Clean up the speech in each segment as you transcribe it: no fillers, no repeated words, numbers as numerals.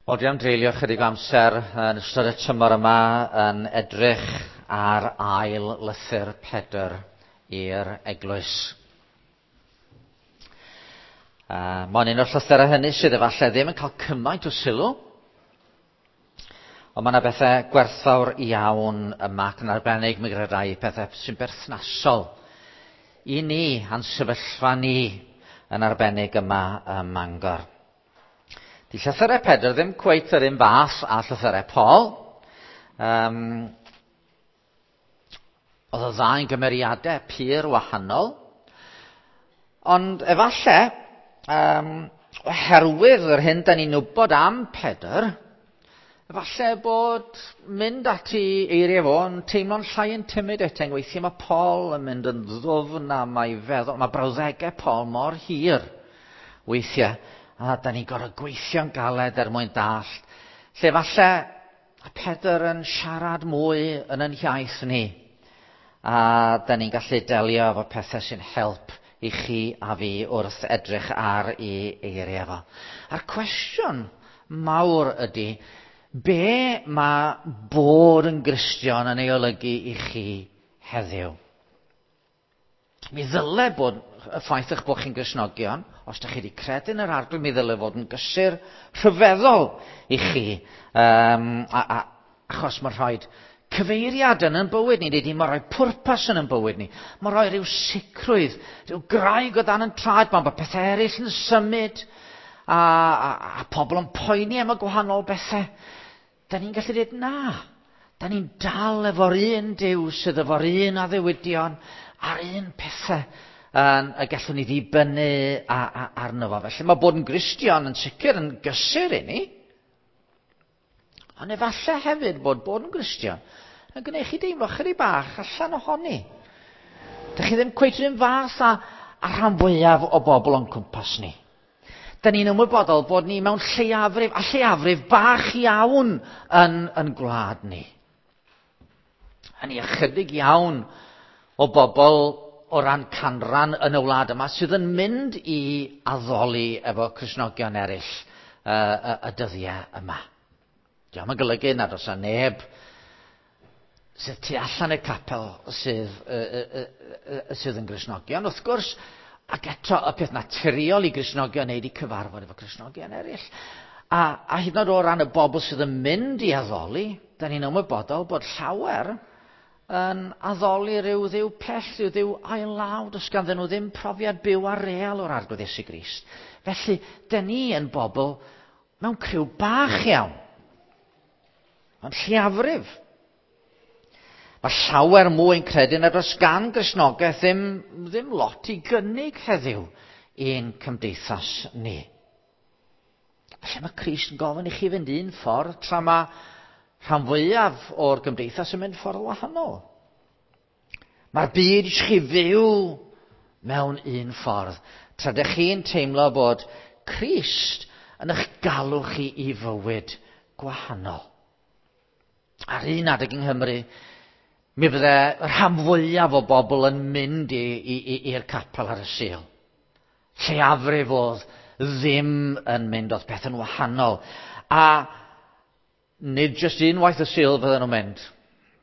Wel, dwi am dreulio chydig o amser yn ystod y tymor yma yn edrych ar ail lythyr Pedr i'r eglwys. Mae'n un o'r llythyrau hynny sydd efallai ddim yn cael cymaint o sylw, ond mae yna bethau gwerthfawr iawn yma ac yn arbennig mi gredai pethau sy'n berthnasol i ni a'n sefyllfa ni yn arbennig yma ym Mangor. Di llythyrau Pedr ddim cweit yr un fath a llythyrau Paul. Oedd y ddau'n gymeriadau pur wahanol. Ond efallai, oherwydd yr hyn da ni'n wybod am Pedr, efallai bod mynd at ei eiriau fo yn teimlo'n llai intimidating. Weithiau mae Paul yn mynd yn ddwfn a mae feddwl, mae brawddegau Paul mor hir weithiau, a da ni'n gorfod gweithio'n galed er mwyn dallt. Lle falle Pedr yn siarad mwy yn yn hiaith ni, a da ni'n gallu delio efo pethau sy'n help i chi a fi wrth edrych ar ei eiriau fo. A'r cwestiwn mawr ydy, be mae bod yn Gristion yn ei olygu i chi heddiw? Mi ddyle bod y ffaith eich bod chi'n Gristnogion, os ydych chi wedi credu yn yr Arglwydd, mi ddyle fod yn gysur rhyfeddol i chi. Achos mae'n rhoi cyfeiriad yn ein bywyd ni, nid mae'n rhoi pwrpas yn ein bywyd ni. Mae'n rhoi rhyw sicrwydd, rhyw graig o dan yn traed, pan bod pethau eraill yn symud, a pobl yn poeni am y gwahanol bethau. Da ni'n gallu dweud na. Da ni'n dal efo'r un Duw sydd efo'r un addewidion a'r un pethau y gallwn ni ddibynnu arno fo. Felly mae bod yn Gristion yn sicr yn gysur i ni. Ond efallai hefyd bod bod yn Gristion yn gwneud chi deimlo chydig bach allan ohoni. Dych chi ddim cweit yr un fath a rhan fwyaf o bobl o'n cwmpas ni. Da ni'n ymwybodol bod ni mewn lleiafrif, a lleiafrif bach iawn yn gwlad ni. A ni ychydig iawn o bobl o ran canran yn y wlad yma sydd yn mynd i addoli efo Cristnogion eraill y dyddiau yma. Dio'm yn golygu nad oes 'na neb sydd tu allan i'r capel sydd yn Gristnogion. Wrth gwrs, ac eto y peth naturiol i Gristnogion wneud i cyfarfod efo Cristnogion eraill. A hyd yn oed o ran y bobl sydd yn mynd i addoli, da ni'n ymwybodol bod llawer yn addoli rhyw ddiw pell, rhyw ddiw ail-law, does ganddyn nhw ddim profiad byw a real o'r Arglwydd Iesu Grist. Felly, da ni yn bobl mewn criw bach iawn, ond lleiafrif. Mae llawer mwy yn credu nad oes gan Gristnogaeth ddim lot i gynnig heddiw i'n cymdeithas ni. Felly mae Crist yn gofyn i chi fynd un ffordd tra mae rhan fwyaf o'r gymdeithas yn mynd ffordd wahanol. Mae'r byd eisiau chi fyw mewn un ffordd, tra dych chi'n teimlo bod Crist yn eich galw chi i fywyd gwahanol. Ar un adeg yng Nghymru, mi fydde rhan fwyaf o bobl yn mynd i'r capel ar y Sul. Lleiafrif oedd ddim yn mynd, oedd peth yn wahanol. A nid jyst unwaith y Sul fydden nhw'n mynd.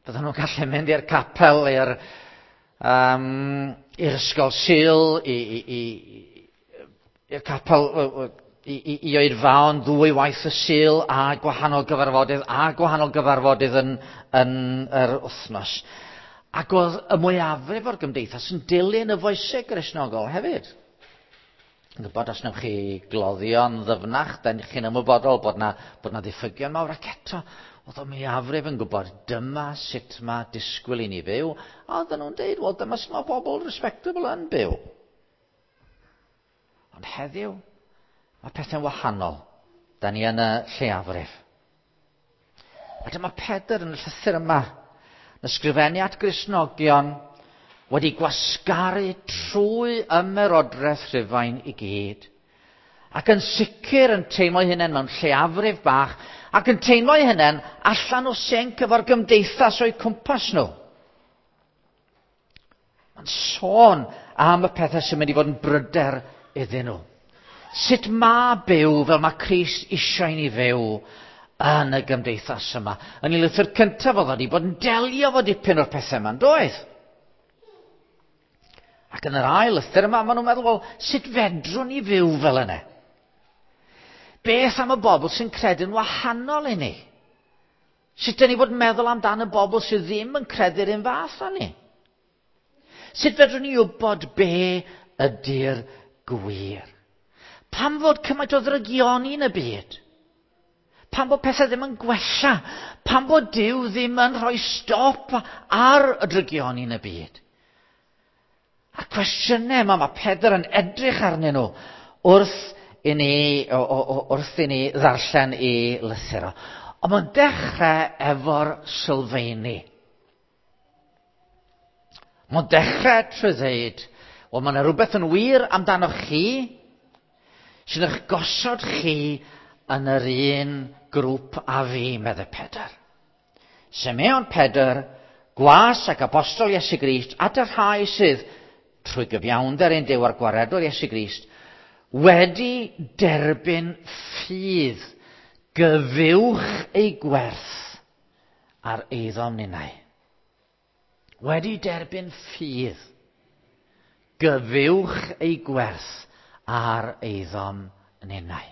Fydden nhw'n gallu mynd i'r capel, i'r ysgol Sul, i'r capel, i oedfaon ddwy waith y Sul a gwahanol gyfarfodydd yn yr wythnos. Ac oedd y mwyafrif o'r gymdeithas yn dilyn y foeseg Gristnogol hefyd. Yn gwybod, os wnewch chi gloddio'n ddyfnach, da chi'n ymwybodol bod na ddiffygion mawr, ac eto, oedd y mwyafrif yn gwybod dyma sut mae disgwyl i ni fyw, a oedden nhw'n deud, wel, dyma sut mae bobl respectable yn byw. Ond heddiw, mae pethau'n wahanol. Da ni yn y lleiafrif. A dyma Pedr yn y llythyr yma, yn ysgrifennu at Gristnogion, wedi gwasgaru trwy ymerodraeth Rhufain i gyd, ac yn sicr yn teimlo'i hunain mewn lleiafrif bach, ac yn teimlo'i hunain allan o sync efo'r gymdeithas o'u cwmpas nhw. Mae'n sôn am y pethau sy'n mynd i fod yn bryder iddyn nhw. Sut mae byw fel mae Crist eisiau ni fyw yn y gymdeithas yma? Yn ei lythyr cyntaf oedd wedi bod yn delio fo dipyn o'r pethau yma, yn doedd? Ac yn yr ail lythyr yma, maen nhw'n meddwl, wel, sut fedrwn ni fyw fel yna? Beth am y bobl sy'n credu'n wahanol i ni? Sut dyn ni fod yn meddwl amdan y bobl sydd ddim yn credu'r un fath â ni? Sut fedrwn ni wybod be ydy'r gwir? Pam fod cymaint o ddrygioni yn y byd? Pam bod pethau ddim yn gwella? Pam bod Duw ddim yn rhoi stop ar y drygioni yn y byd? A'r cwestiynau yma mae Pedr yn edrych arnyn nhw wrth i ni, wrth i ni ddarllen i lythyr o. Ond mae'n dechrau efo'r sylfeini. Mae'n dechrau trwy ddeud, wel mae yna rhywbeth yn wir amdanoch chi, sy'n eich gosod chi yn yr un grŵp â fi, meddai Pedr. Simeon Pedr, gwas ac apostol Iesu Grist, at y rhai sydd, trwy gyfiawnder ein Duw a'r gwaredwr Iesu Grist, wedi derbyn ffydd gyfuwch ei gwerth ar eiddom ninnau. Wedi derbyn ffydd gyfuwch ei gwerth ar eiddom ninnau.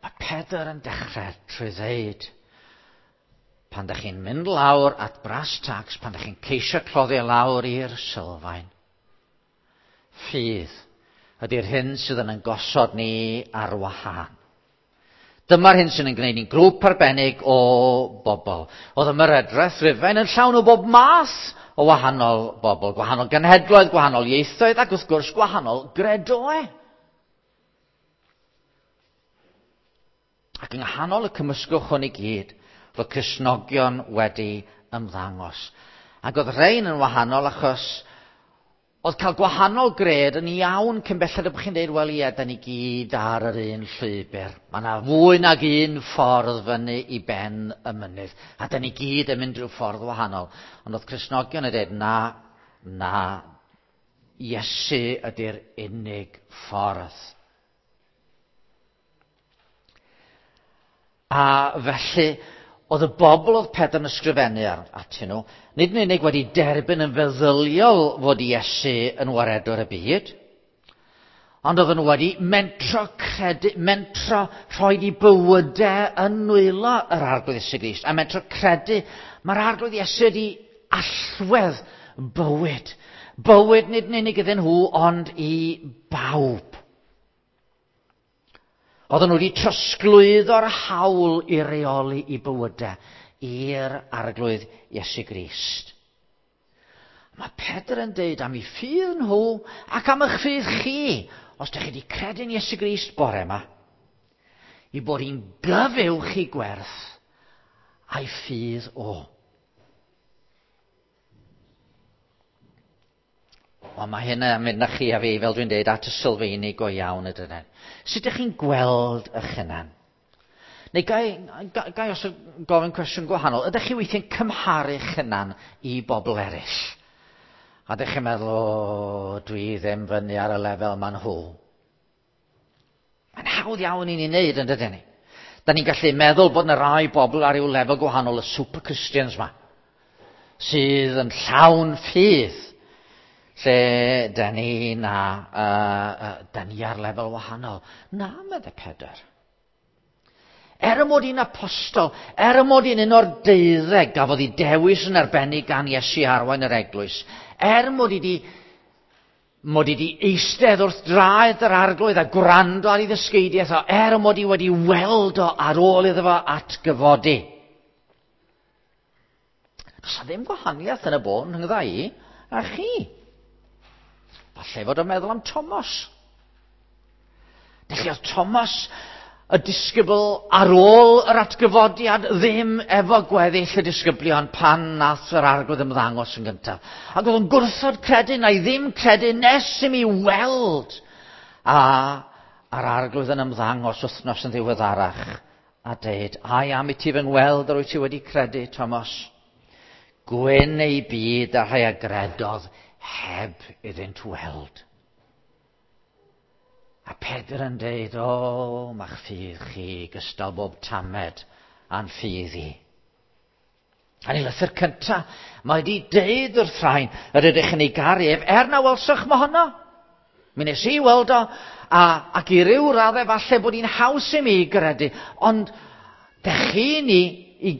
Mae Pedr yn dechrau trwy ddeud, pan da chi'n mynd lawr at brass tacks, pan da chi'n ceisio cloddio lawr i'r sylfaen, ffydd ydy'r hyn sydd yn ein gosod ni ar wahân. Dyma'r hyn sy'n ein gwneud ni'n grŵp arbennig o bobl. Oedd ymerodraeth Rufain yn llawn o bob math o wahanol bobl, gwahanol genhedloedd, gwahanol ieithoedd ac wrth gwrs gwahanol gredoau. Ac yng nghanol y cymysgwch hwn i gyd, roedd Cristnogion wedi ymddangos. Ac oedd rhain yn wahanol achos oedd cael gwahanol gred yn iawn cyn belled y bod chi'n dweud, wel ie, da ni gyd ar yr un llwybr. Mae yna fwy nag un ffordd fyny i ben y mynydd. A da ni gyd yn mynd rhyw ffordd wahanol. Ond oedd Cristnogion yn dweud, na, na, Iesu ydy'r unig ffordd. A felly, oedd y bobl oedd Pedr yn ysgrifennu ar, atyn nhw, nid yn unig wedi derbyn yn feddyliol fod Iesu yn waredwr y byd, ond oedden nhw wedi mentro credu, mentro rhoi i bywydau yn nwylo yr Arglwydd Iesu Grist, a mentro credu, mae'r Arglwydd Iesu wedi allwedd bywyd. Bywyd nid yn unig iddyn nhw, ond i bawb. Oedden nhw wedi trosglwyddo'r hawl i reoli i bywydau i'r Arglwydd Iesu Grist. Mae Pedr yn deud am ei ffydd nhw ac am eich ffydd chi, os ydych chi wedi credu'n Iesu Grist bore yma, i bod hi'n gyfuwch i gwerth a'i ffydd o. Wel, mae hynna yn mynd â chi a fi, fel dwi'n dweud, at y sylfeini go iawn y dydyn. Sut ydych chi'n gweld eich hunan? Neu gai, gai os gofyn cwestiwn gwahanol, ydych chi weithiau'n cymharu'ch hunan i bobl eraill? A ydych chi'n meddwl, o, dwi ddim fyny ar y lefel ma'n nhw. Mae'n hawdd iawn i ni wneud, yn dydyn ni? Da ni'n gallu meddwl bod yna rai bobl ar ryw lefel gwahanol, y super Christians ma, sydd yn llawn ffydd, lle da ni na, da ni ar lefel wahanol. Na, meddai Pedr. Er y mod i'n apostol, er y mod i'n un o'r deuddeg gafodd ei dewis yn arbennig gan Iesu arwain yr eglwys, er mod i di mod i di eistedd wrth draed yr Arglwydd a gwrando ar ei ddysgeidiaeth o, er y mod i wedi weld o ar ôl iddo fo atgyfodi. Does 'na ddim gwahaniaeth yn y bôn rhyngdda i a chi. Falle fod o'n meddwl am Thomas. Felly oedd Thomas, y disgybl ar ôl yr atgyfodiad, ddim efo gweddill y disgyblion pan nath yr Arglwydd ymddangos yn gyntaf. Ac oedd o'n gwrthod credu, na i ddim credu nes i mi weld. A a'r Arglwydd yn ymddangos wythnos yn ddiweddarach a deud, ai am i ti fy ngweld yr wyt ti wedi credu, Thomas. Gwyn ei byd a rhai a gredodd heb iddynt weld. A Pedr yn deud, o, ma'ch ffydd chi gystal bob tamed a'n ffydd i. A'n ei lythyr cynta, mae wedi deud wrth rhain yr ydych yn ei garu ef, er na welsoch mohono. Mi nes i weld o, a, ac i ryw raddau falle bod hi'n haws i mi gredu, ond dech chi'n i, i,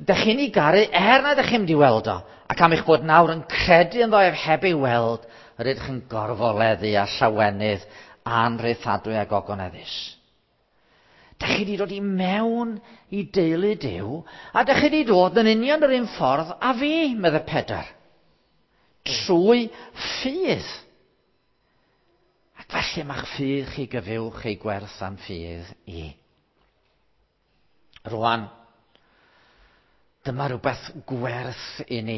dech chi'n ei garu er na dech chi'n mynd i weld o, ac am eich bod nawr yn credu ynddo ef heb ei weld, yr ydych yn gorfoleddu a llawenydd anrheithadwy a gogoneddus. Dych chi wedi dod i mewn i deulu Duw, a dych chi wedi dod yn union yr un ffordd a fi, medde Pedr. Trwy ffydd. Ac felly mae'ch ffydd chi gyfywch ei gwerth am ffydd i. Rwan, dyma rhywbeth gwerth i ni,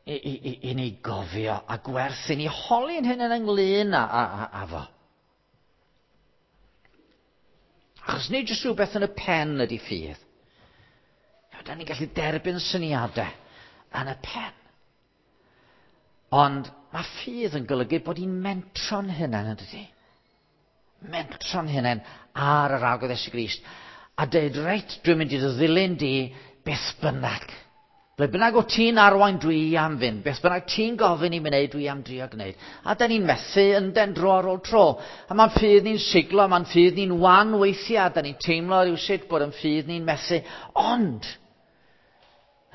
i, i, i ni gofio a gwerth i ni holi'n hyn yn ynglyn â, â, â, â fo. Achos nid jyst rhywbeth yn y pen ydy ffydd. Da ni'n gallu derbyn syniadau yn y pen. Ond mae ffydd yn golygu bod ni'n mentro'n hunain yn dydy. Mentro'n hunain ar yr Arglwydd Iesu Grist. A dweud, reit, dwi'n mynd i dy ddilyn di beth bynnag. Ble bynnag o ti'n arwain dwi am fynd, beth bynnag ti'n gofyn i mi wneud, dwi am drio gwneud. A da ni'n methu yn den dro ar ôl tro. A mae'n ffydd ni'n siglo, mae'n ffydd ni'n wan weithiau, da ni'n teimlo rhywsut bod yn ffydd ni'n methu. Ond,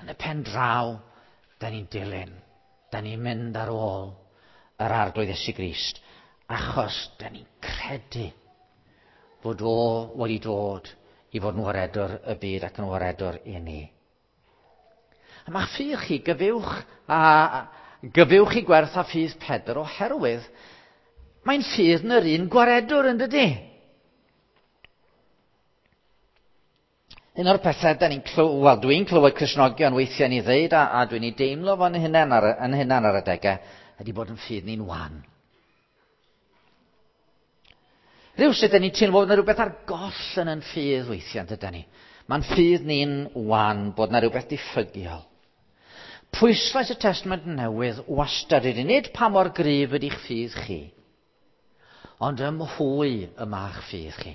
yn y pen draw, da ni'n dilyn. Da ni'n mynd ar ôl yr Arglwydd Iesu Grist, achos da ni'n credu fod o wedi dod i fod yn waredwr y byd ac yn waredwr i ni. A mae ffydd chi gyfywch, a, gyfywch i gwerth a ffydd Pedr oherwydd mae'n ffydd yn yr un gwaredwr yn dydy. Un o'r pethau da ni'n clywed, wel dwi'n clywed Cristnogion weithiau ni ddeud, a, a dwi'n ei deimlo fo'n hunan ar, yn hunan ar adegau, ydy bod yn ffydd ni'n wan. Rhywsut, da ni'n teimlo bod yna rhywbeth ar goll yn yn ffydd weithiau, dyda ni. Mae'n ffydd ni'n wan, bod yna rhywbeth diffygiol. Pwyslais y Testament Newydd wastad ydy nid pa mor gryf ydy'ch ffydd chi, ond ym mhwy y mae'ch ffydd chi.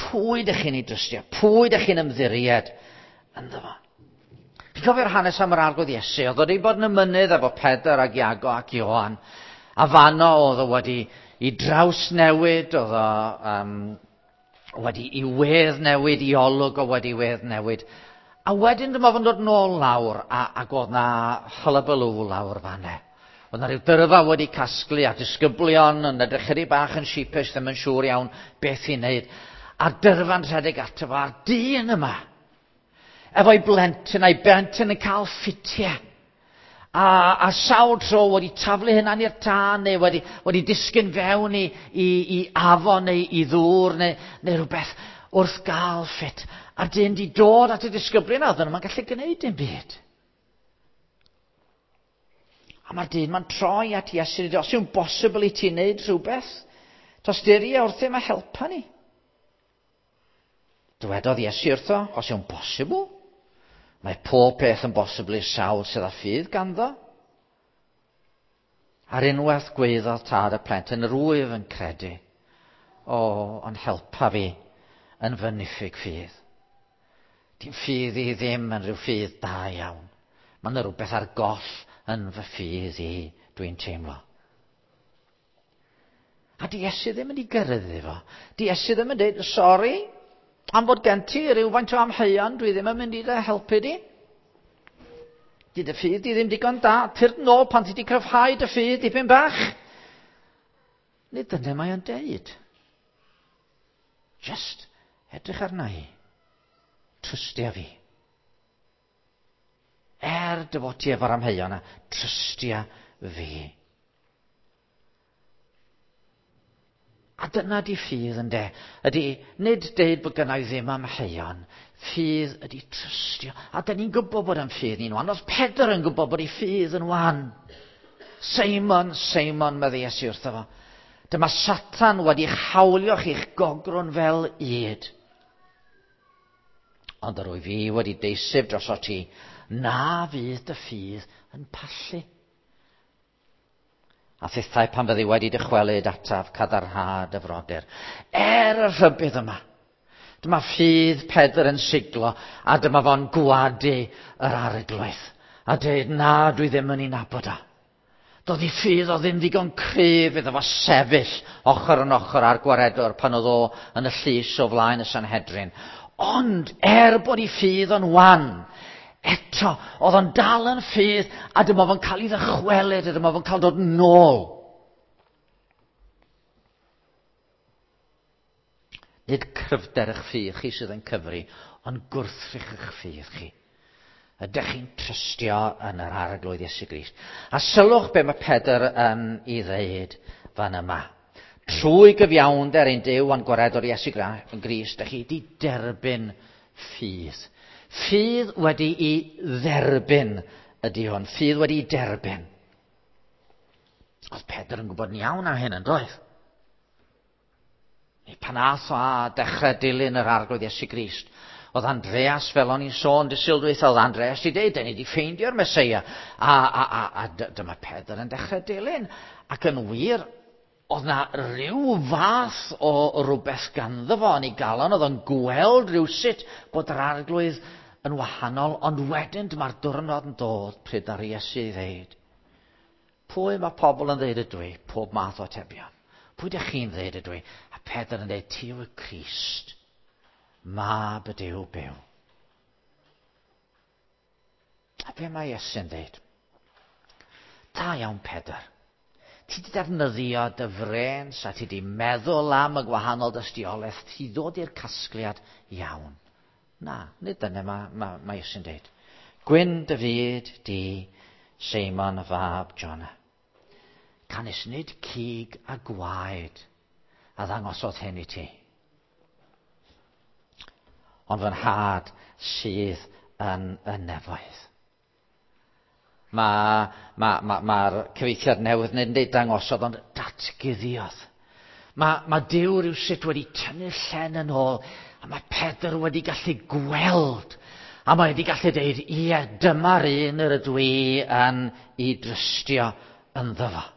Pwy ydych chi'n ei drystio? Pwy ydych chi'n ymddiried ynddo fo? Chi'n cofio'r hanes am yr Arglwydd Iesu? Oedd wedi bod yn y mynydd efo Pedr ac Iago ac Ioan. A fanno oedd o wedi i draws newid, oedd o um, wedi i wedd newid, i olwg o wedi wedd newid. A wedyn dyma fo'n dod nôl lawr, a, ac oedd na hullabaloo lawr fanne. Oedd na rhyw dyrfa wedi casglu a disgyblion yn edrych chydig bach yn sheepish, ddim yn siŵr iawn beth i wneud. A'r dyrfa'n rhedeg ato fo, a'r dyn yma, efo'i blentyn, a'i blentyn yn cael ffitiau. A, a sawl tro wedi taflu hynna'n i'r tân, neu wedi, wedi disgyn fewn i, i, i afon neu i ddŵr neu, neu rhywbeth wrth gael ffit. A'r dyn di dod at y disgyblion a oedden nhw'n gallu gwneud dim byd. A mae'r dyn ma'n troi at Iesu, os yw'n bosibl i ti wneud rhywbeth, tosturi wrthym a helpa ni. Dywedodd Iesu wrtho, os yw'n bosibl, mae pob peth yn bosibl i'r sawl sydd â ffydd ganddo. Ar unwaith gweiddodd tad y plentyn, yr wyf yn credu. O, ond helpa fi yn fy niffyg ffydd. Di'n ffydd i ddim yn rhyw ffydd da iawn. Mae yna rhywbeth ar goll yn fy ffydd i, dwi'n teimlo. A di Iesu ddim yn ei gyrryddu fo. Di Iesu ddim yn dweud, sori, am fod gen ti rhywfaint o amheuon, dwi ddim yn mynd i dy helpu di. Di dy ffydd di ddim digon da, tyrd nôl pan ti di cryfhau dy ffydd dipyn bach. Nid dyna mae o'n deud. Just edrych arna i. Trystia fi. Er dy fod ti efo'r amheuon a trystia fi. A dyna di ffydd ynde. Ydy, nid deud bod gynna i ddim amheuon. Ffydd ydy trystio. A da ni'n gwybod bod yn ffydd ni'n wan. Oedd Pedr yn gwybod bod ei ffydd yn wan. Seimon, Seimon, medde Iesu wrtho fo. Dyma Satan wedi hawlio chi'ch gogrwn fel ŷd. Ond yr wyf fi wedi deiseb droso ti, na fydd dy ffydd yn pallu. A thithau pan fyddi wedi dychwelyd ataf cadarnhad y frodyr. Er y rhybudd yma, dyma ffydd Pedr yn siglo a dyma fo'n gwadu yr Arglwydd. A dweud, na, dwi ddim yn ei nabod o. Doedd ei ffydd o ddim ddigon cryf iddo fo sefyll ochr yn ochr â'r gwaredwr pan oedd o yn y llys o flaen y Sanhedrin. Ond er bod ei ffydd o'n wan, eto, oedd o'n dal yn ffydd a dyma fo'n cael ei ddychwelyd a dyma fo'n cael dod nôl. Nid cryfder eich ffydd chi sydd yn cyfri, ond gwrthrych eich ffydd chi. Ydych chi'n trystio yn yr Arglwydd Iesu Grist? A sylwch be mae Pedr yn ei ddeud fan yma. Trwy gyfiawnder ein Duw a'n gwaredwr Iesu Grist, ydych chi wedi derbyn ffydd. Ffydd wedi'i dderbyn ydy hwn. Ffydd wedi'i derbyn. Oedd Pedr yn gwybod yn iawn am hyn, yn doedd? Pan ath o a dechrau dilyn yr Arglwydd Iesu Grist, oedd Andreas, fel o'n i'n sôn dy Sul dwytha, oedd Andreas 'di deud, 'dan ni 'di ffeindio'r Meseia. A dyma Pedr yn dechrau dilyn. Ac yn wir, oedd na ryw fath o rywbeth ganddo fo yn ei galon, oedd o'n gweld rywsut bod yr Arglwydd yn wahanol, ond wedyn dyma'r diwrnod yn dod pryd ddaru Iesu i ddeud, pwy mae pobl yn ddeud ydw i? Pob math o atebion. Pwy dych chi'n ddeud ydw i? A Pedr yn dweud, ti yw y Crist, mab y Duw byw. A be mae Iesu'n dweud? Da iawn, Pedr. Ti wedi defnyddio dy frêns a ti wedi meddwl am y gwahanol dystiolaeth, ti ddod i'r casgliad iawn. Na, nid dyna mae Iesu'n dweud. Gwyn dy fyd di, Seimon fab Jona. Canys nid cig a gwaed a ddangosodd hyn i ti, ond fy nhad sydd yn y nefoedd. Mae'r cyfieithiad newydd nid yn deud dangosodd, ond datguddiodd. Mae Duw rywsut wedi tynnu'r llen yn ôl, a mae Pedr wedi gallu gweld, a mae wedi gallu deud, ie, dyma'r un yr ydw i yn ei drystio ynddo fo.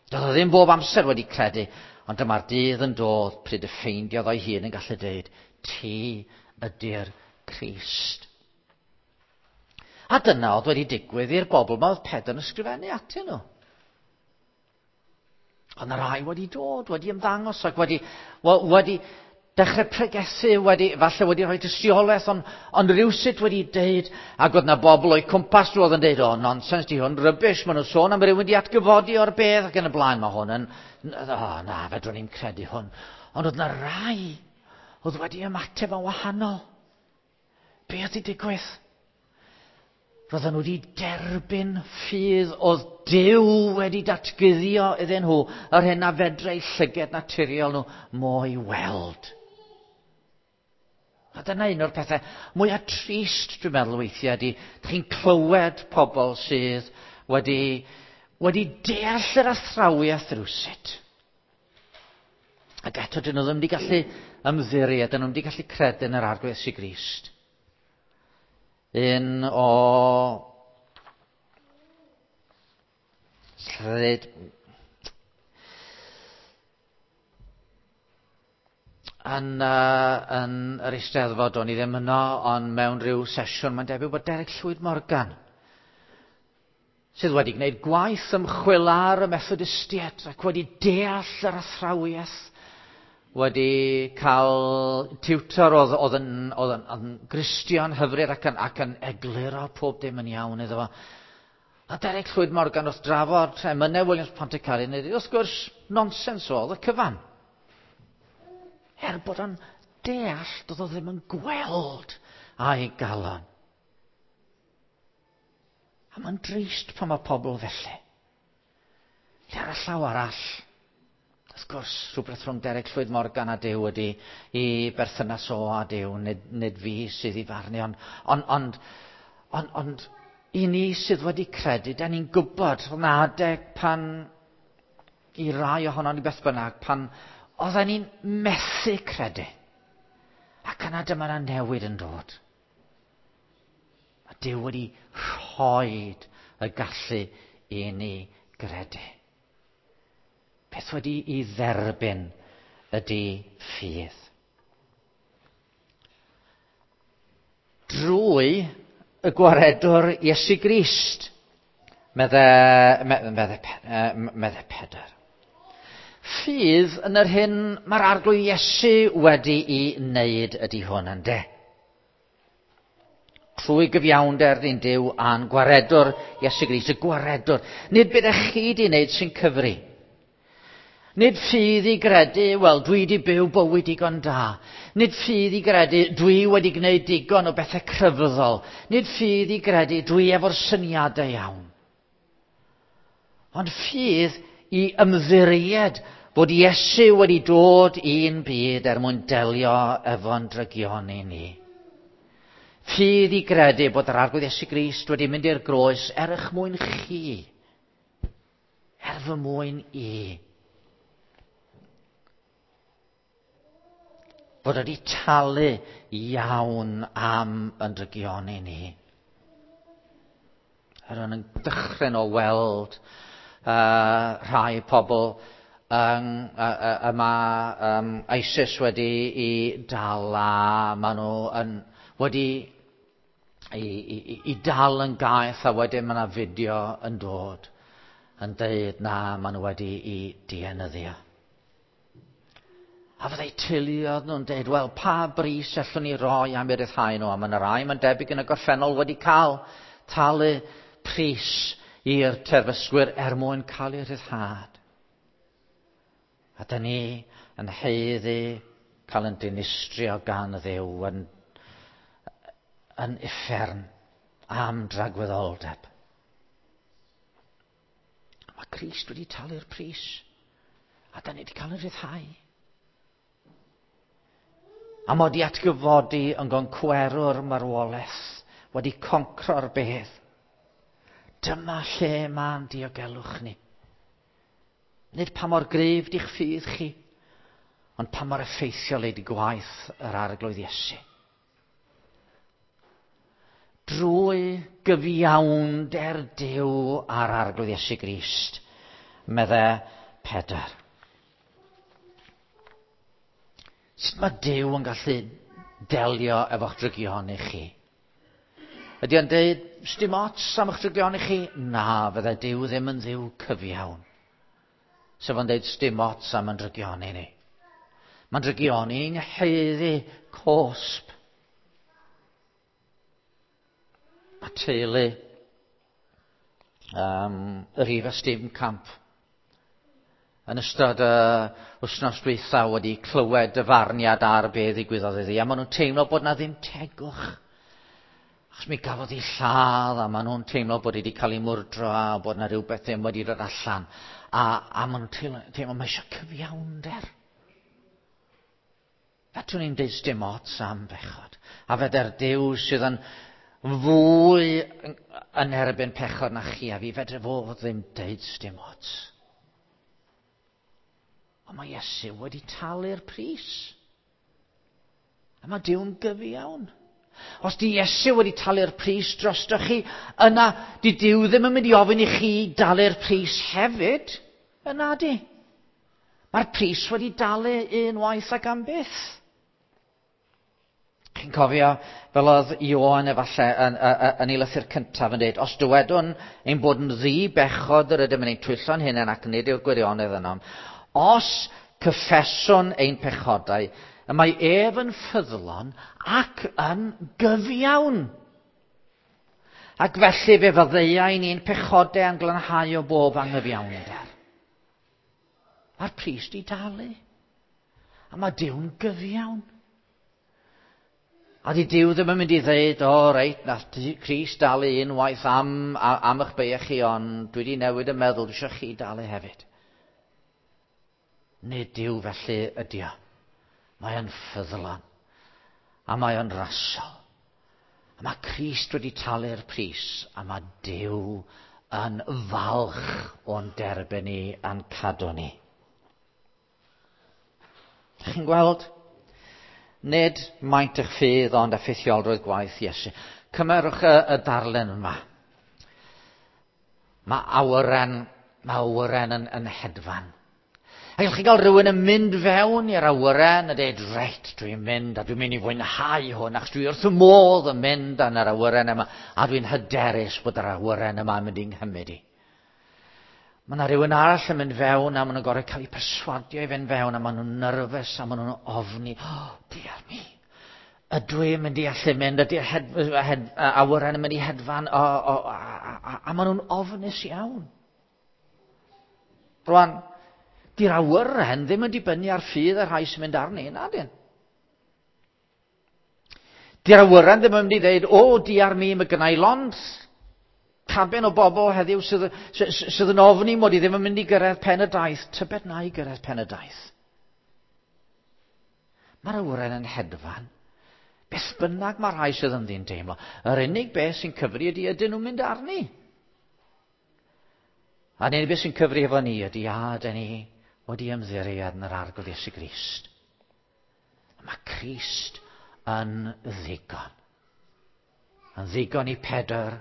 Doedd o ddim bob amser wedi credu, ond dyma'r dydd yn dod pryd y ffeindiodd o'i hun yn gallu deud, ti ydy'r Crist. A dyna oedd wedi digwydd i'r bobl yma oedd Pedr yn ysgrifennu atyn nhw. Ond y rai wedi dod, wedi ymddangos ac wedi dechrau pregethu, falle wedi rhoi tystiolaeth, ond rywsut wedi deud, ac oedd na bobl o'i cwmpas nhw oedd yn deud, o, nonsens di hwn, rubbish, maen nhw'n sôn am rywun di atgyfodi o'r bedd ac yn y blaen, mae hwn yn, o, na, fedrwn ni'n credu hwn. Ond oedd na rai oedd wedi ymateb yn wahanol. Be oedd wedi digwydd? Roedden nhw wedi derbyn ffydd oedd Duw wedi datguddio iddyn nhw yr hyn a fedrai llyged naturiol nhw mo'i weld. A dyna un o'r pethau mwyaf trist, dwi'n meddwl weithiau, ydy, dych chi'n clywed pobl sydd wedi deall yr athrawiaeth rywsut. Ac eto, dyn nhw ddim wedi gallu ymddiried, dyn nhw ddim wedi gallu credu yn yr Arglwydd Iesu Grist. Un o yn yr Eisteddfod, o'n i ddim yno, ond mewn rhyw sesiwn, mae'n debyg bod Derek Llwyd Morgan, sydd wedi gwneud gwaith ymchwil ar y Methodistiaid ac wedi deall yr athrawiaeth, wedi cael tiwtor oedd yn Gristion hyfryd ac yn egluro pob dim yn iawn iddo fo. A Derek Llwyd Morgan wrth drafod emynau Williams Pontycelyn, wrth gwrs, nonsens oedd y cyfan. Er bod o'n deall, doedd o ddim yn gweld a'i galon. A mae'n drist pan mae pobl felly. Lle ar y llaw arall, wrth gwrs, rhywbeth rhwng Derek Llwyd Morgan a Duw ydy i berthynas o a Duw, nid fi sydd i farnu, ond i ni sydd wedi credu, da ni'n gwybod, oedd 'na adeg pan, i rai ohonon ni beth bynnag, pan oedden ni'n methu credu. Ac yna dyma 'na newid yn dod. Mae Duw wedi rhoi y gallu i ni gredu. Beth wedi i dderbyn ydy ffydd. Drwy y gwaredwr Iesu Grist, medde, medde, medde Pedr. Ffydd yn yr hyn mae'r Arglwydd Iesu wedi'i wneud ydy hwn, ynde? Trwy gyfiawnder dyn Duw a'n gwaredwr Iesu Grist, y gwaredwr. Nid beth ych chi wedi wneud sy'n cyfri. Nid ffydd i gredu, wel, dwi wedi byw bywyd digon da. Nid ffydd i gredu, dwi wedi gwneud digon o bethau crefyddol. Nid ffydd i gredu, dwi efo'r syniadau iawn. Ond ffydd i ymddiried bod Iesu wedi dod i'n byd er mwyn delio efo'n drygioni ni. Ffydd i gredu bod yr Arglwydd Iesu Grist wedi mynd i'r groes er eich mwyn chi, er fy mwyn i. Fod wedi talu iawn am yn drygioni ni. Yr yn dychryn o weld rhai pobl yma ISIS wedi i dal a maen nhw yn, wedi i dal yn gaeth a wedyn mae yna fideo yn dod yn deud na maen nhw wedi i dienyddio. A fyddai teuluoedd nhw'n deud, wel, pa bris allwn ni roi am eu ryddhau nhw? A mae yna rai, mae'n debyg yn y gorffennol, wedi cael talu pris i'r terfysgwyr er mwyn cael eu rhyddhad. A da ni yn haeddu cael yn dinistrio gan Dduw yn, yn uffern am dragwyddoldeb. Mae Crist wedi talu'r pris. A da ni wedi cael yn rhyddhau. A mod i atgyfodi yn goncwerwr marwolaeth, wedi concro'r bedd. Dyma lle mae'n diogelwch ni. Nid pa mor gryf di'ch ffydd chi, ond pa mor effeithiol ydy gwaith yr Arglwydd Iesu. Drwy gyfiawnder Duw a'r Arglwydd Iesu Grist, medde Pedr. Sut mae Duw yn gallu delio efo'ch drygioni chi? Ydy o'n deud, sdim ots am eich drygioni chi? Na, fydde Duw ddim yn Dduw cyfiawn. Sef o'n deud, sdim ots am yn drygioni ni. Mae'n drygioni ni'n haeddu cosb. Mae teulu yr Eva Steenkamp yn ystod y wythnos dwytha wedi clywed y farniad ar be ddigwyddodd iddi, a maen nhw'n teimlo bod na ddim tegwch. Achos mi gafodd hi lladd, a maen nhw'n teimlo bod hi wedi cael ei mwrdro, a bod na rhywbeth ddim wedi dod allan. A, a maen nhw'n teimlo, teimlo mae eisiau cyfiawnder. Fedrwn ni'n deud dim ots am bechod. A feder Duw sydd yn fwy yn erbyn pechod na chi a fi, fedre fo ddim deud dim ots. Ond mae Iesu wedi talu'r pris. A mae Duw'n gyfiawn. Os di Iesu wedi talu'r pris drostoch chi, yna di Duw ddim yn mynd i ofyn i chi dalu'r pris hefyd. Yna di. Mae'r pris wedi dalu unwaith ac am byth. Chi'n cofio fel oedd Ioan efallai yn, yn, yn ei lythyr cyntaf yn dweud, os dywedwn ein bod yn ddi-bechod yr ydym yn ein twyllo'n hunain ac nid yw'r gwirionedd ynom, os cyffeswn ein pechodau, y mae ef yn ffyddlon ac yn gyfiawn. Ac felly fe faddeuai ni'n pechodau a'n glanhau o bob anghyfiawnder. Mae'r pris di dalu. A mae Duw'n gyfiawn. A di Duw ddim yn mynd i ddeud, o reit, nath Crist dalu unwaith am, am eich beiau chi, ond dwi wedi newid y meddwl, dwi eisiau chi dalu hefyd. Nid Duw felly ydi o. Mae o'n ffyddlon. A mae o'n rasol. A mae Crist wedi talu'r pris, a mae Duw yn falch o'n derbyn ni a'n cadw ni. Dych chi'n gweld? Nid maint eich ffydd ond effeithiolrwydd gwaith Iesu. Cymerwch y, y darlun yma. Mae awyren, mae awyren yn, yn hedfan. A gallwch chi gael rhywun yn mynd fewn i'r awyren a dweud, reit, dwi'n mynd a dwi'n mynd i fwynhau hwn, achos dwi wrth y modd yn mynd yn yr awyren yma, a dwi'n hyderus bod yr awyren yma yn mynd i'n nghymryd i. Mae yna rhywun arall yn mynd fewn a maen nhw'n gorau cael eu perswadio i fynd fewn a maen nhw'n nyrfys a maen nhw'n ofni. Oh, dear me. Ydw i'n mynd i allu mynd? Ydy'r hed, hed, awyren yn mynd i hedfan? O, o, a, a, a, a maen nhw'n ofnus iawn. Rwan, di'r awyren ddim yn dibynnu ar ffydd y rhai sy'n mynd arni, na dyn. Di'r awyren ddim yn mynd i ddeud, o, diar mi, mae gennau lond cabin o bobl heddiw sydd, sydd yn ofni mod i ddim yn mynd i gyrraedd pen y daith. Tybed na i gyrraedd pen y daith. Mae'r awyren yn hedfan. Beth bynnag mae rhai sydd ynddi'n teimlo. Yr unig beth sy'n cyfri ydy ydyn nhw'n mynd arni. A'r unig beth sy'n cyfri efo ni ydy a dyn ni wedi ymddiried yn yr Arglwydd Iesu Grist. Mae Crist yn ddigon. Yn ddigon i Pedr,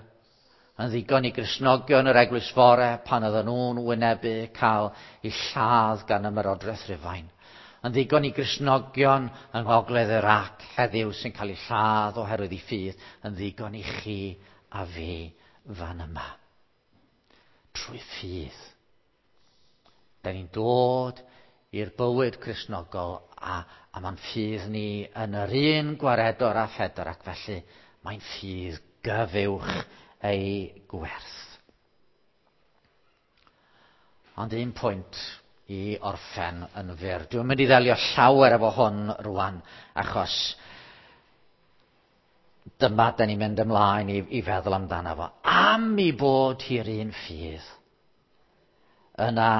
yn ddigon i Gristnogion yr Eglwys Fore pan oedden nhw'n wynebu cael eu lladd gan ymerodraeth Rufain. Yn ddigon i Gristnogion yng Ngogledd Iraq heddiw sy'n cael eu lladd oherwydd eu ffydd. Yn ddigon i chi a fi fan yma. Trwy ffydd. Da ni'n dod i'r bywyd Cristnogol a, a mae'n ffydd ni yn yr un gwaredwr a Phedr ac felly mae'n ffydd gyfuwch ei gwerth. Ond un pwynt i orffen yn fyr. Dwi'n mynd i ddelio llawer efo hwn rwan achos dyma da ni'n mynd ymlaen i, i feddwl amdano fo. Am i bod hi'r un ffydd, yna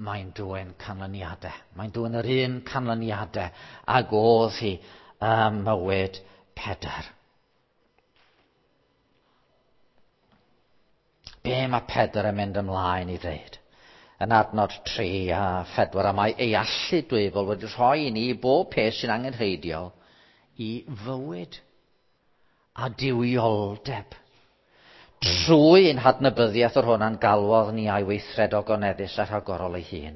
mae'n dwyn canlyniadau. Mae'n dwyn yr un canlyniadau ag oedd hi ym mywyd Pedr. Be mae Pedr yn mynd ymlaen i ddeud? Yn adnod 3 a 4, a mae ei allu dwyfol wedi rhoi i ni bob peth sy'n angenrheidiol i fywyd a duwioldeb. Trwy ein hadnabyddiaeth o'r hwn a'n galwodd ni a'i weithred ogoneddus a rhagorol ei hun.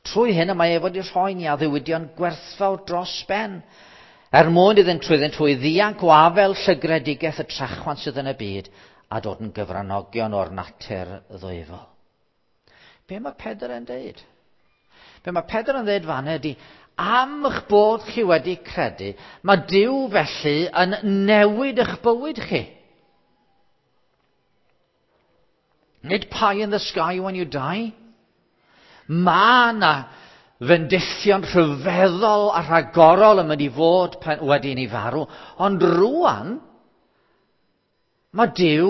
Trwy hyn y mae ef wedi rhoi ni addewidion gwerthfawr dros ben, er mwyn iddynt trwyddynt hwy ddianc o afel llygredigaeth y trachwant sydd yn y byd a dod yn gyfranogion o'r natur ddwyfol. Be mae Pedr yn deud? Be mae Pedr yn dweud fan ydy, am eich bod chi wedi credu, mae Duw felly yn newid eich bywyd chi. Nid pie in the sky when you die. Mae yna fendithion rhyfeddol a rhagorol yn mynd i fod pen, wedi i ni farw. Ond rwan, mae Duw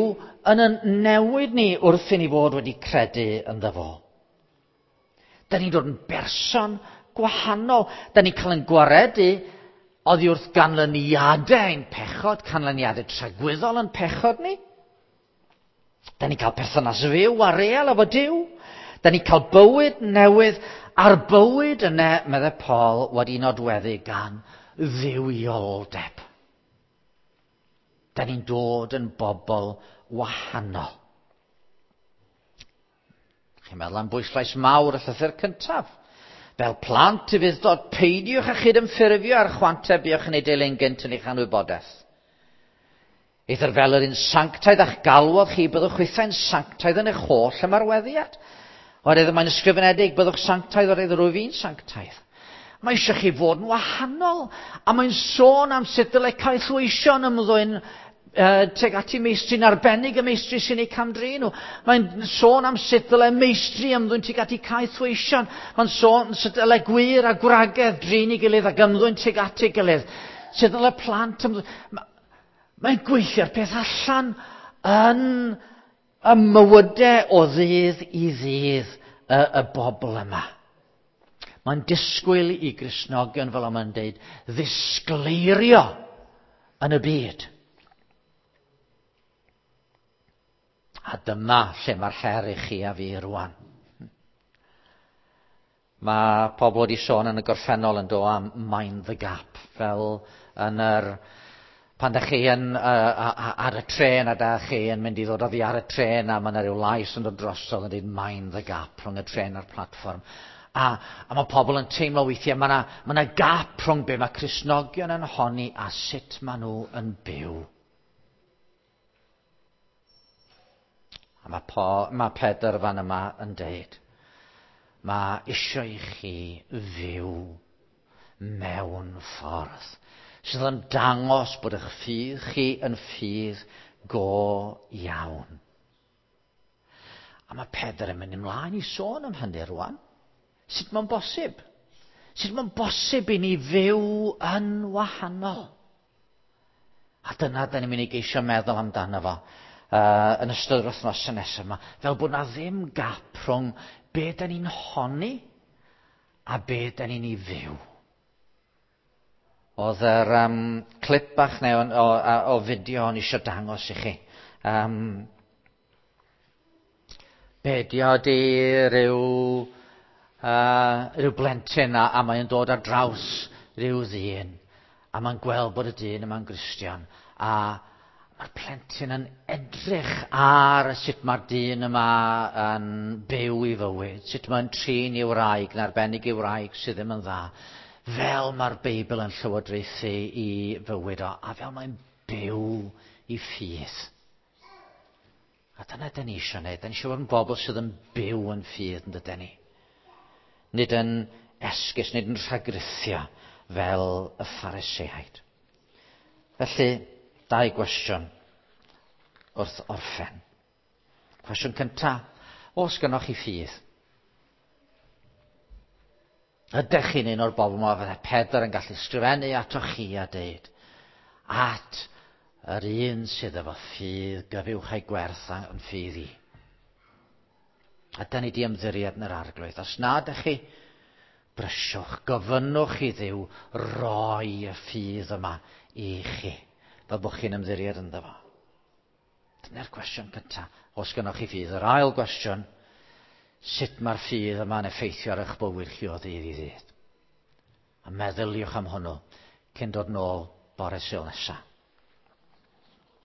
yn yn newid ni wrth i ni fod wedi credu ynddo fo. Da ni'n dod yn berson gwahanol. Da ni'n cael yn gwaredu oddi wrth ganlyniadau ein pechod, canlyniadau tragwyddol yn pechod ni. Da ni'n cael perthynas fyw a real efo Duw. Da ni'n cael bywyd newydd, a'r bywyd yna, meddai Paul, wedi nodweddu gan dduwioldeb. Da ni'n dod yn bobl wahanol. Chi'n meddwl am bwyslais mawr y llythyr cyntaf. Fel plant i fudd-dod, peidiwch â chydymffurfio ar chwantau buoch yn ei dilyn gynt yn eich anwybodaeth. Eithr fel yr un sanctaidd a'ch galwodd chi, byddwch chwithau'n sanctaidd yn eich holl ymarweddiad. Oherwydd mae'n ysgrifenedig, byddwch sanctaidd oherwydd rwyf i'n sanctaidd. Mae eisiau chi fod yn wahanol, a mae'n sôn am sut dylai caethweision ymddwyn tuag at i meistri'n arbennig y meistri sy'n eu camdrin nhw. Mae'n sôn am sut dylai meistri ymddwyn tuag at i caethweision. Mae'n sôn sut dylai gwŷr a gwragedd drin ei gilydd ac ymddwyn tuag at ei gilydd. Sut dylai plant ymddwyn. Mae'n gweithio'r peth allan yn y mywydau o ddydd i ddydd y, y bobl yma. Mae'n disgwyl i Gristnogion, fel mae'n dweud, ddisgleirio yn y byd. A dyma lle mae'r her i chi a fi rwan. Mae pobl wedi sôn yn y gorffennol yn do am mind the gap, fel yn yr Pan da chi yn, ar y trên a da chi yn mynd i ddod oddi ar y trên a mae yna rhyw lais yn dod drosodd yn dweud "Mind the gap" rhwng y trên a'r platfform. A mae pobl yn teimlo weithiau mae yna ma gap rhwng be mae Cristnogion yn honni a sut maen nhw yn byw. A mae Pedr fan yma yn deud, mae eisiau i chi fyw mewn ffordd sydd yn dangos bod eich ffydd chi yn ffydd go iawn. A mae Pedr yn mynd ymlaen i sôn am hynny rwan. Sut mae'n bosib? Sut mae'n bosib i ni fyw yn wahanol? A dyna da ni'n mynd i geisio meddwl amdano fo yn ystod yr wythnos nesaf yma. Fel bod na ddim gap rhwng be da ni'n honni a be da ni'n ei fyw. Oedd yr clip bach neu o fideo o'n eisiau dangos i chi. Be di o di rhyw blentyn a mae'n dod ar draws rhyw ddyn a mae'n gweld bod y dyn yma'n Gristion a mae'r plentyn yn edrych ar sut mae'r dyn yma yn byw i fywyd, sut mae'n trin i wraig, yn arbennig i wraig sydd ddim yn dda, fel mae'r Beibl yn llywodraethu i fywyd o, a fel mae'n byw i ffydd. A dyna dyn ni eisiau gwneud. Dyn ni eisiau bod yn bobl sydd yn byw yn ffydd, yn dydyn ni. Nid yn esgus, nid yn rhagrithio fel y Phariseaid. Felly, dau gwestiwn wrth orffen. Cwestiwn cyntaf, oes gynnoch chi ffydd? Ydych chi'n un o'r bobl yma fydde Pedr yn gallu sgrifennu atoch chi a deud, at yr un sydd efo ffydd gyfuwch ei gwerth yn ffydd i? A da ni di ymddiried yn yr Arglwydd. Os na ydych chi, brysiwch, gofynnwch i Dduw roi y ffydd yma i chi, fel bod chi'n ymddiried ynddo fo. Dyna'r cwestiwn cyntaf. Os gynnoch chi ffydd. Yr ail gwestiwn, sut mae'r ffydd yma'n effeithio ar eich bywyd chi o ddydd i ddydd? A meddyliwch am hwnnw cyn dod nôl bore Sul nesaf.